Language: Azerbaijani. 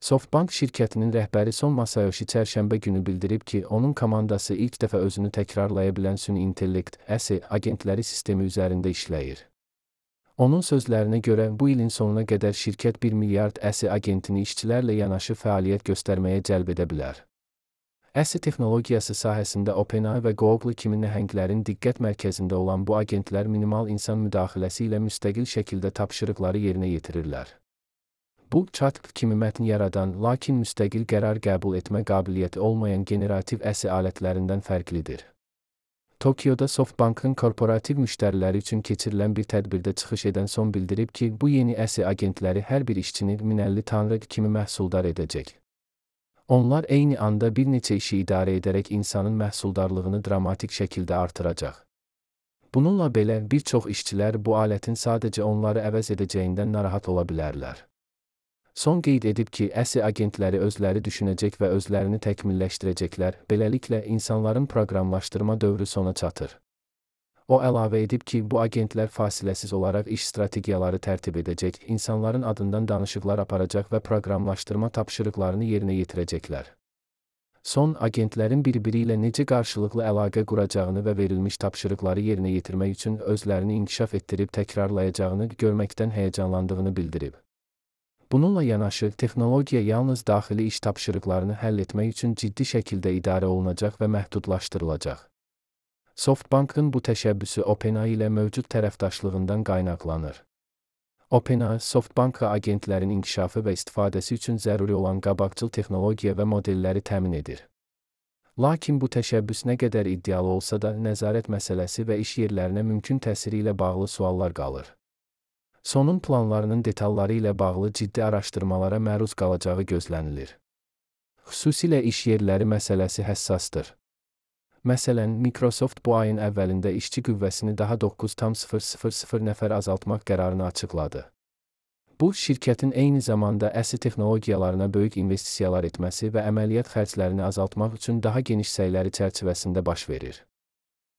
SoftBank şirkətinin rəhbəri Son Masayoshi çərşənbə günü bildirib ki, onun komandası ilk dəfə özünü təkrarlaya bilən süni intellekt (AI) agentləri sistemi üzərində işləyir. Onun sözlərinə görə, bu ilin sonuna qədər şirkət 1 milyard AI agentini işçilərlə yanaşı fəaliyyət göstərməyə cəlb edə bilər. AI texnologiyası sahəsində OpenAI və Google kimi nəhənglərin diqqət mərkəzində olan bu agentlər minimal insan müdaxiləsi ilə müstəqil şəkildə tapşırıqları yerinə yetirirlər. Bu, chatbot kimi mətn yaradan, lakin müstəqil qərar qəbul etmə qabiliyyəti olmayan generativ AI alətlərindən fərqlidir. Tokyoda SoftBank'ın korporativ müştəriləri üçün keçirilən bir tədbirdə çıxış edən Son bildirib ki, bu yeni AI agentləri hər bir işçini 1050 tanrı kimi məhsuldar edəcək. Onlar eyni anda bir neçə işi idarə edərək insanın məhsuldarlığını dramatik şəkildə artıracaq. Bununla belə, bir çox işçilər bu alətin sadəcə onları əvəz edəcəyindən narahat ola bilərlər. Son qeyd edib ki, AI agentləri özləri düşünəcək və özlərini təkmilləşdirəcəklər, beləliklə insanların proqramlaşdırma dövrü sona çatır. O əlavə edib ki, bu agentlər fasiləsiz olaraq iş strategiyaları tərtib edəcək, insanların adından danışıqlar aparacaq və proqramlaşdırma tapşırıqlarını yerinə yetirəcəklər. Son, agentlərin bir-biri ilə necə qarşılıqlı əlaqə quracağını və verilmiş tapşırıqları yerinə yetirmək üçün özlərini inkişaf etdirib təkrarlayacağını görməkdən həyəcanlandığını bildirib. Bununla yanaşı, texnologiya yalnız daxili iş tapşırıqlarını həll etmək üçün ciddi şəkildə idarə olunacaq və məhdudlaşdırılacaq. SoftBank'ın bu təşəbbüsü OpenAI ilə mövcud tərəfdaşlığından qaynaqlanır. OpenAI, SoftBank'a agentlərin inkişafı və istifadəsi üçün zəruri olan qabaqcıl texnologiya və modelləri təmin edir. Lakin bu təşəbbüs nə qədər iddialı olsa da, nəzarət məsələsi və iş yerlərinə mümkün təsiri ilə bağlı suallar qalır. Sonun planlarının detalları ilə bağlı ciddi araşdırmalara məruz qalacağı gözlənilir. Xüsusilə iş yerləri məsələsi həssasdır. Məsələn, Microsoft bu ayın əvvəlində işçi qüvvəsini daha 9,000 nəfər azaltmaq qərarını açıqladı. Bu, şirkətin eyni zamanda AI texnologiyalarına böyük investisiyalar etməsi və əməliyyat xərclərini azaltmaq üçün daha geniş səyləri çərçivəsində baş verir.